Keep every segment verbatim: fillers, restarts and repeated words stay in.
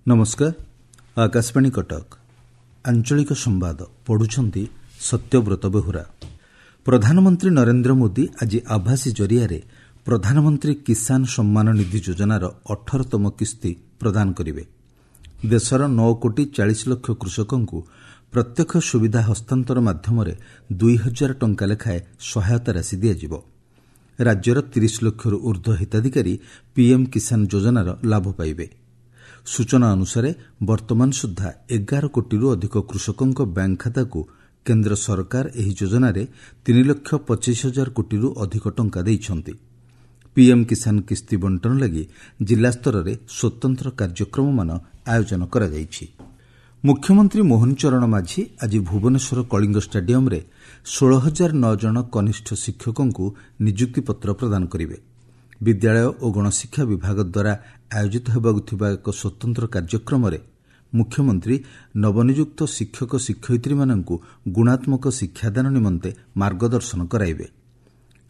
ନମସ୍କାର ଆକାଶବାଣୀ କଟକ ଆଞ୍ଚଳିକ ସମ୍ବାଦ ପଢୁଛନ୍ତି ସତ୍ୟବ୍ରତ ବେହୁରା ପ୍ରଧାନମନ୍ତ୍ରୀ ନରେନ୍ଦ୍ର ମୋଦି ଆଜି ଆଭାସୀ ଜରିଆରେ ପ୍ରଧାନମନ୍ତ୍ରୀ କିଷାନ ସମ୍ମାନ ନିଧି ଯୋଜନାର ଅଠରତମ କିସ୍ତି ପ୍ରଦାନ କରିବେ ଦେଶର ନଅ କୋଟି ଚାଳିଶ ଲକ୍ଷ କୃଷକଙ୍କୁ ପ୍ରତ୍ୟକ୍ଷ ସୁବିଧା ହସ୍ତାନ୍ତର ମାଧ୍ୟମରେ ଦୁଇ ହଜାର ଟଙ୍କା ଲେଖାଏଁ ସହାୟତା ରାଶି ଦିଆଯିବ ରାଜ୍ୟର ତିରିଶ ଲକ୍ଷରୁ ଉର୍ଦ୍ଧ୍ୱ ହିତାଧିକାରୀ ପିଏମ୍ କିଷାନ ଯୋଜନାର ଲାଭ ପାଇବେ ସୂଚନା ଅନୁସାରେ ବର୍ତ୍ତମାନ ସୁଦ୍ଧା ଏଗାର କୋଟିରୁ ଅଧିକ କୃଷକଙ୍କ ବ୍ୟାଙ୍କ ଖାତାକୁ କେନ୍ଦ୍ର ସରକାର ଏହି ଯୋଜନାରେ ତିନି ଲକ୍ଷ ପଚିଶ ହଜାର କୋଟିରୁ ଅଧିକ ଟଙ୍କା ଦେଇଛନ୍ତି ପିଏମ୍ କିଷାନ କିସ୍ତି ବଣ୍ଟନ ଲାଗି ଜିଲ୍ଲାସ୍ତରରେ ସ୍ୱତନ୍ତ୍ର କାର୍ଯ୍ୟକ୍ରମମାନ ଆୟୋଜନ କରାଯାଇଛି ମୁଖ୍ୟମନ୍ତ୍ରୀ ମୋହନ ଚରଣ ମାଝୀ ଆଜି ଭୁବନେଶ୍ୱର କଳିଙ୍ଗ ଷ୍ଟାଡିୟମ୍ରେ ଷୋହଳ ହଜାର ନଅ ଜଣ କନିଷ୍ଠ ଶିକ୍ଷକଙ୍କୁ ନିଯୁକ୍ତିପତ୍ର ପ୍ରଦାନ କରିବେ ବିଦ୍ୟାଳୟ ଓ ଗଣଶିକ୍ଷା ବିଭାଗ ଦ୍ୱାରା ଆୟୋଜିତ ହେବାକୁ ଥିବା ଏକ ସ୍ୱତନ୍ତ୍ର କାର୍ଯ୍ୟକ୍ରମରେ ମୁଖ୍ୟମନ୍ତ୍ରୀ ନବନିଯୁକ୍ତ ଶିକ୍ଷକ ଶିକ୍ଷୟିତ୍ରୀମାନଙ୍କୁ ଗୁଣାତ୍ମକ ଶିକ୍ଷାଦାନ ନିମନ୍ତେ ମାର୍ଗଦର୍ଶନ କରାଇବେ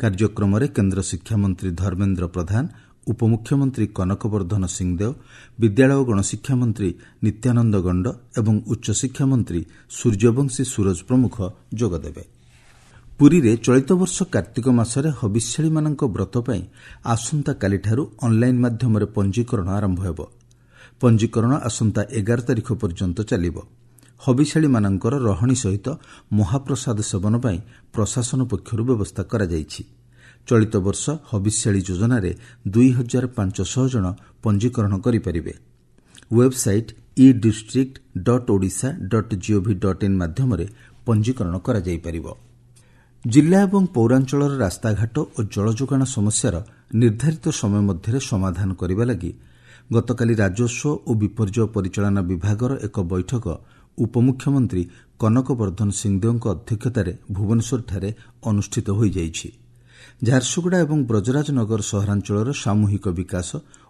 କାର୍ଯ୍ୟକ୍ରମରେ କେନ୍ଦ୍ର ଶିକ୍ଷାମନ୍ତ୍ରୀ ଧର୍ମେନ୍ଦ୍ର ପ୍ରଧାନ ଉପମୁଖ୍ୟମନ୍ତ୍ରୀ କନକ ବର୍ଦ୍ଧନ ସିଂଦେଓ ବିଦ୍ୟାଳୟ ଓ ଗଣଶିକ୍ଷା ମନ୍ତ୍ରୀ ନିତ୍ୟାନନ୍ଦ ଗଣ୍ଡ ଏବଂ ଉଚ୍ଚଶିକ୍ଷା ମନ୍ତ୍ରୀ ସୂର୍ଯ୍ୟବଂଶୀ ସୂରଜ ପ୍ରମୁଖ ଯୋଗଦେବେ ପୁରୀରେ ଚଳିତ ବର୍ଷ କାର୍ତ୍ତିକ ମାସରେ ହବିଷ୍ୟାଳିମାନଙ୍କ ବ୍ରତ ପାଇଁ ଆସନ୍ତାକାଲିଠାରୁ ଅନ୍ଲାଇନ୍ ମାଧ୍ୟମରେ ପଞ୍ଜୀକରଣ ଆରମ୍ଭ ହେବ ପଞ୍ଜୀକରଣ ଆସନ୍ତା ଏଗାର ତାରିଖ ପର୍ଯ୍ୟନ୍ତ ଚାଲିବ ହବିଷ୍ୟାଳିମାନଙ୍କର ରହଣି ସହିତ ମହାପ୍ରସାଦ ସେବନ ପାଇଁ ପ୍ରଶାସନ ପକ୍ଷରୁ ବ୍ୟବସ୍ଥା କରାଯାଇଛି ଚଳିତ ବର୍ଷ ହବିଷ୍ୟାଳି ଯୋଜନାରେ ଦୁଇ ହଜାର ପାଞ୍ଚଶହ ଜଣ ପଞ୍ଜୀକରଣ କରିପାରିବେ website e district dot Odisha dot gov dot in ମାଧ୍ୟମରେ ପଞ୍ଜୀକରଣ କରାଯାଇପାରିବ ଜିଲ୍ଲା ଏବଂ ପୌରାଞ୍ଚଳର ରାସ୍ତାଘାଟ ଓ ଜଳଯୋଗାଣ ସମସ୍ୟାର ନିର୍ଦ୍ଧାରିତ ସମୟ ମଧ୍ୟରେ ସମାଧାନ କରିବା ଲାଗି ଗତକାଲି ରାଜସ୍ୱ ଓ ବିପର୍ଯ୍ୟୟ ପରିଚାଳନା ବିଭାଗର ଏକ ବୈଠକ ଉପମୁଖ୍ୟମନ୍ତ୍ରୀ କନକ ବର୍ଦ୍ଧନ ସିଂଦେଓଙ୍କ ଅଧ୍ୟକ୍ଷତାରେ ଭୁବନେଶ୍ୱରଠାରେ ଅନୁଷ୍ଠିତ ହୋଇଯାଇଛି ଝାରସୁଗୁଡ଼ା ଏବଂ ବ୍ରଜରାଜନଗର ସହରାଞ୍ଚଳର ସାମୂହିକ ବିକାଶ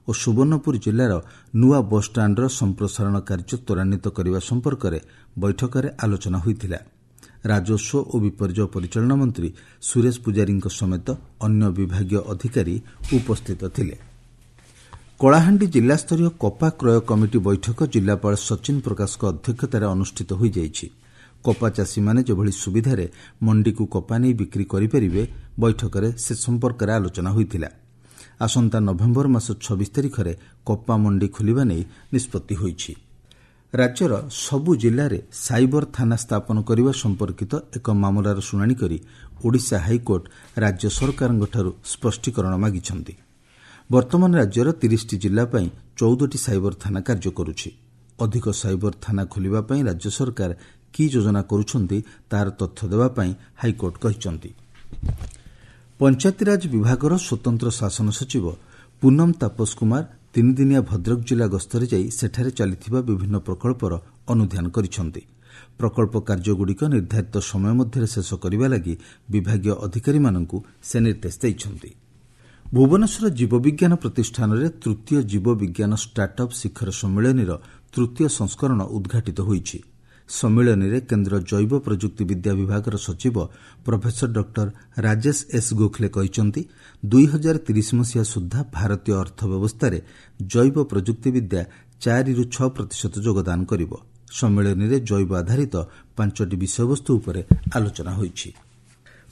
ଓ ସୁବର୍ଣ୍ଣପୁର ଜିଲ୍ଲାର ନୂଆ ବସ୍ଷ୍ଟାଣ୍ଡର ସମ୍ପ୍ରସାରଣ କାର୍ଯ୍ୟ ତ୍ୱରାନ୍ୱିତ କରିବା ସମ୍ପର୍କରେ ବୈଠକରେ ଆଲୋଚନା ହୋଇଥିଲା ରାଜସ୍ୱ ଓ ବିପର୍ଯ୍ୟୟ ପରିଚାଳନା ମନ୍ତ୍ରୀ ସୁରେଶ ପୂଜାରୀଙ୍କ ସମେତ ଅନ୍ୟ ବିଭାଗୀୟ ଅଧିକାରୀ ଉପସ୍ଥିତ ଥିଲେ କଳାହାଣ୍ଡି ଜିଲ୍ଲାସ୍ତରୀୟ କପା କ୍ରୟ କମିଟି ବୈଠକ ଜିଲ୍ଲାପାଳ ସଚିନ ପ୍ରକାଶଙ୍କ ଅଧ୍ୟକ୍ଷତାରେ ଅନୁଷ୍ଠିତ ହୋଇଯାଇଛି କପା ଚାଷୀମାନେ ଯେଭଳି ସୁବିଧାରେ ମଣ୍ଡିକୁ କପା ନେଇ ବିକ୍ରି କରିପାରିବେ ବୈଠକରେ ସେ ସମ୍ପର୍କରେ ଆଲୋଚନା ହୋଇଥିଲା ଆସନ୍ତା ନଭେମ୍ବର ମାସ ଛବିଶ ତାରିଖରେ କପା ମଣ୍ଡି ଖୋଲିବା ନେଇ ନିଷ୍ପତ୍ତି ହୋଇଛି ରାଜ୍ୟର ସବୁ ଜିଲ୍ଲାରେ ସାଇବର ଥାନା ସ୍ଥାପନ କରିବା ସମ୍ପର୍କିତ ଏକ ମାମଲାର ଶୁଣାଣି କରି ଓଡ଼ିଶା ହାଇକୋର୍ଟ ରାଜ୍ୟ ସରକାରଙ୍କଠାରୁ ସ୍ପଷ୍ଟୀକରଣ ମାଗିଛନ୍ତି ବର୍ତ୍ତମାନ ରାଜ୍ୟର ତିରିଶଟି ଜିଲ୍ଲା ପାଇଁ ଚଉଦଟି ସାଇବର ଥାନା କାର୍ଯ୍ୟ କରୁଛି ଅଧିକ ସାଇବର ଥାନା ଖୋଲିବା ପାଇଁ ରାଜ୍ୟ ସରକାର କି ଯୋଜନା କରୁଛନ୍ତି ତାହାର ତଥ୍ୟ ଦେବା ପାଇଁ ହାଇକୋର୍ଟ କହିଛନ୍ତି ପଞ୍ଚାୟତିରାଜ ବିଭାଗର ସ୍ୱତନ୍ତ୍ର ଶାସନ ସଚିବ ପୁନମ ତାପସ କୁମାର ତିନିଦିନିଆ ଭଦ୍ରକ ଜିଲ୍ଲା ଗସ୍ତରେ ଯାଇ ସେଠାରେ ଚାଲିଥିବା ବିଭିନ୍ନ ପ୍ରକଳ୍ପର ଅନୁଧ୍ୟାନ କରିଛନ୍ତି ପ୍ରକଳ୍ପ କାର୍ଯ୍ୟଗୁଡ଼ିକ ନିର୍ଦ୍ଧାରିତ ସମୟ ମଧ୍ୟରେ ଶେଷ କରିବା ଲାଗି ବିଭାଗୀୟ ଅଧିକାରୀମାନଙ୍କୁ ସେ ନିର୍ଦ୍ଦେଶ ଦେଇଛନ୍ତି ଭୁବନେଶ୍ୱର ଜୀବବିଜ୍ଞାନ ପ୍ରତିଷ୍ଠାନରେ ତୃତୀୟ ଜୀବବିଜ୍ଞାନ ଷ୍ଟାର୍ଟ ଅପ୍ ଶିଖର ସମ୍ମିଳନୀର ତୃତୀୟ ସଂସ୍କରଣ ଉଦ୍ଘାଟିତ ହୋଇଛି ସମ୍ମିଳନୀରେ କେନ୍ଦ୍ର ଜୈବ ପ୍ରଯୁକ୍ତି ବିଦ୍ୟା ବିଭାଗର ସଚିବ professor doctor Rajesh S Gokhale କହିଛନ୍ତି ଦୁଇ ହଜାର ତିରିଶ ମସିହା ସୁଦ୍ଧା ଭାରତୀୟ ଅର୍ଥ ବ୍ୟବସ୍ଥାରେ ଜୈବ ପ୍ରଯୁକ୍ତିବିଦ୍ୟା ଚାରିରୁ ଛଅ ପ୍ରତିଶତ ଯୋଗଦାନ କରିବ ସମ୍ମିଳନୀରେ ଜୈବ ଆଧାରିତ ପାଞ୍ଚଟି ବିଷୟବସ୍ତୁ ଉପରେ ଆଲୋଚନା ହୋଇଛି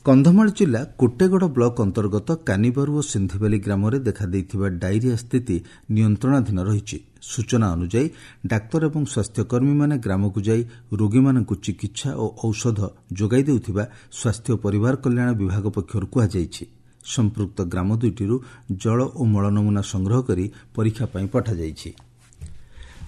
କନ୍ଧମାଳ ଜିଲ୍ଲା କୋଟେଗଡ଼ ବ୍ଲକ ଅନ୍ତର୍ଗତ କାନିବାରୁ ଓ ସିନ୍ଧିବାଲି ଗ୍ରାମରେ ଦେଖାଦେଇଥିବା ଡାଇରିଆ ସ୍ଥିତି ନିୟନ୍ତ୍ରଣାଧୀନ ରହିଛି ସୂଚନା ଅନୁଯାୟୀ ଡାକ୍ତର ଏବଂ ସ୍ୱାସ୍ଥ୍ୟକର୍ମୀମାନେ ଗ୍ରାମକୁ ଯାଇ ରୋଗୀମାନଙ୍କୁ ଚିକିତ୍ସା ଓ ଔଷଧ ଯୋଗାଇ ଦେଉଥିବା ସ୍ୱାସ୍ଥ୍ୟ ଓ ପରିବାର କଲ୍ୟାଣ ବିଭାଗ ପକ୍ଷରୁ କୁହାଯାଇଛି ସମ୍ପୃକ୍ତ ଗ୍ରାମ ଦୁଇଟିରୁ ଜଳ ଓ ମଳ ନମୁନା ସଂଗ୍ରହ କରି ପରୀକ୍ଷା ପାଇଁ ପଠାଯାଇଛି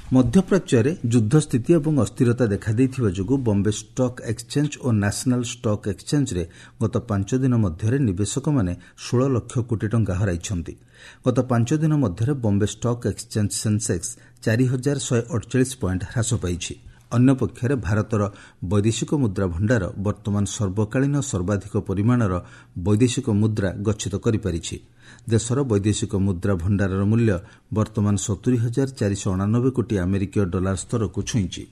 ମଧ୍ୟପ୍ରାଚ୍ୟରେ ଯୁଦ୍ଧସ୍ଥିତି ଏବଂ ଅସ୍ଥିରତା ଦେଖାଦେଇଥିବା ଯୋଗୁଁ ବମ୍ବେ ଷ୍ଟକ୍ ଏକ୍ସଚେଞ୍ଜ ଓ ନ୍ୟାସନାଲ୍ ଷ୍ଟକ୍ ଏକ୍ସଚେଞ୍ଜରେ ଗତ ପାଞ୍ଚ ଦିନ ମଧ୍ୟରେ ନିବେଶକମାନେ ଷୋହଳ ଲକ୍ଷ କୋଟି ଟଙ୍କା ହରାଇଛନ୍ତି ଗତ ପାଞ୍ଚ ଦିନ ମଧ୍ୟରେ ବମ୍ବେ ଷ୍ଟକ୍ ଏକ୍ସଚେଞ୍ଜ ସେନ୍ସେକ୍ସ ଚାରି ହଜାର ଶହେ ଅଡ଼ଚାଳିଶ ପଏଣ୍ଟ ହ୍ରାସ ପାଇଛି ଅନ୍ୟପକ୍ଷରେ ଭାରତର ବୈଦେଶିକ ମୁଦ୍ରା ଭଣ୍ଡାର ବର୍ତ୍ତମାନ ସର୍ବକାଳୀନ ସର୍ବାଧିକ ପରିମାଣର ବୈଦେଶିକ ମୁଦ୍ରା ଗଚ୍ଛିତ କରିପାରିଛି ଦେଶର ବୈଦେଶିକ ମୁଦ୍ରା ଭଣ୍ଡାରର ମୂଲ୍ୟ ବର୍ତ୍ତମାନ ସତୁରି ହଜାର ଚାରିଶହ ଅଣାନବେ କୋଟି ଆମେରିକୀୟ ଡଲାର ସ୍ତରକୁ ଛୁଇଁଛି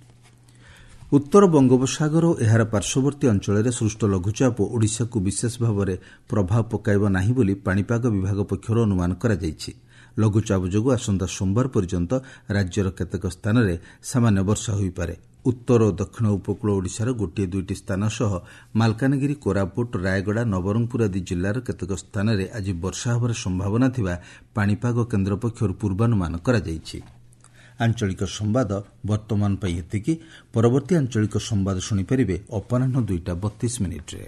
ଉତ୍ତର ବଙ୍ଗୋପସାଗର ଓ ଏହାର ପାର୍ଶ୍ୱବର୍ତ୍ତୀ ଅଞ୍ଚଳରେ ସୃଷ୍ଟ ଲଘୁଚାପ ଓଡ଼ିଶାକୁ ବିଶେଷ ଭାବରେ ପ୍ରଭାବ ପକାଇବ ନାହିଁ ବୋଲି ପାଣିପାଗ ବିଭାଗ ପକ୍ଷରୁ ଅନୁମାନ କରାଯାଇଛି ଲଘୁଚାପ ଯୋଗୁଁ ଆସନ୍ତା ସୋମବାର ପର୍ଯ୍ୟନ୍ତ ରାଜ୍ୟର କେତେକ ସ୍ଥାନରେ ସାମାନ୍ୟ ବର୍ଷା ହୋଇପାରେ। ଉତ୍ତର ଓ ଦକ୍ଷିଣ ଉପକୂଳ ଓଡ଼ିଶାର ଗୋଟିଏ ଦୁଇଟି ସ୍ଥାନ ସହ ମାଲକାନଗିରି, କୋରାପୁଟ, ରାୟଗଡ଼ା, ନବରଙ୍ଗପୁର ଆଦି ଜିଲ୍ଲାର କେତେକ ସ୍ଥାନରେ ଆଜି ବର୍ଷା ହେବାର ସମ୍ଭାବନା ଥିବା ପାଣିପାଗ କେନ୍ଦ୍ର ପକ୍ଷରୁ ପୂର୍ବାନୁମାନ କରାଯାଇଛି। ଆଞ୍ଚଳିକ ସମ୍ବାଦ ବର୍ତ୍ତମାନ ପାଇଁ ଏତିକି। ପରବର୍ତ୍ତୀ ଆଞ୍ଚଳିକ ସମ୍ବାଦ ଶୁଣିପାରିବେ ଅପରାହ୍ନ ଦୁଇଟା ବତିଶ ମିନିଟ୍ରେ।